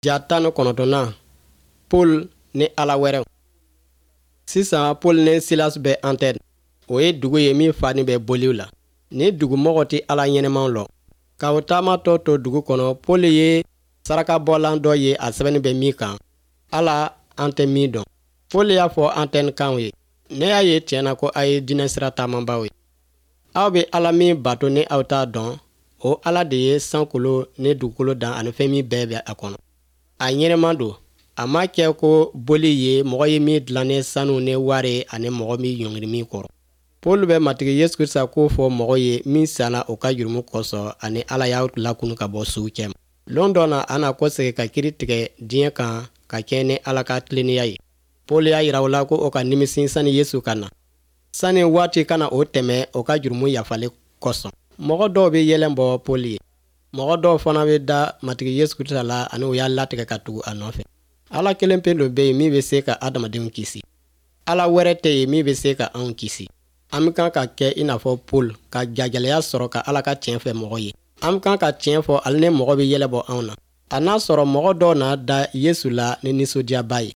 Ja 19nan, Paul ni ala wɛrɛw. Sisan Paul ni Silas bɛ Antɛn. O ye dugu ye min fanin bɛ boliw la. Nin dugumɔgɔ tɛ Ala ɲɛnɛmaw lɔn. Ka o taamatɔ to dugu kɔnɔ, Paul ye sarakabɔlan dɔ ye a sɛbɛnnin bɛ min kan, Ala an tɛ min dɔn. Paul y'a fɔ Antɛnkanw ye, ne y'a ye tiɲɛ na ko a ye diinɛ sira taamabaaw ye. Aw bɛ Ala min bato ni aw t'a dɔn, o Ala de ye sankolo ni dugukolo dan ani fɛn min bɛɛ bɛ a kɔnɔ. A ɲɛnama don, a ma kɛ ko boli ye mɔgɔ ye min dilan ni sanu ni wari ani mɔgɔ min ɲɔngiri min kɔrɔ. Paul bɛ Matigi Yesu Krisita ko fɔ mɔgɔ ye min sala o ka jurumu kosɔn ani Ala y'a lakunu ka bɔ suw cɛma. Lon dɔ na a na kɔsegin ka kiri tigɛ diɲɛ kan ka kɛɲɛ ni Ala ka tilennenya ye. Paul y'a jira u la ko o ka nimisi sani Yesu ka na. Sani waati ka na o tɛmɛ o ka jurumu yafali kosɔn. Mɔgɔ dɔw bɛ yɛlɛn bɔ Paul ye. Mɔgɔ dɔw fana bɛ da Matigi Yesu Krisita la ani u y'a latigɛ ka tugu a nɔfɛ. Ala kelen pe lo bɛ yen min bɛ se ka adamadenw kisi. Ala wɛrɛ tɛ yen min bɛ se ka anw kisi. An bɛ kan ka kɛ i n'a fɔ Paul ka jagɛlɛya sɔrɔ ka Ala ka tiɲɛ fɛ mɔgɔ ye. An bɛ kan ka tiɲɛ fɔ hali ni mɔgɔ bɛ yɛlɛ bɔ anw na. A n'a sɔrɔ mɔgɔ dɔw na da Yesu la ni nisɔndiyaba ye.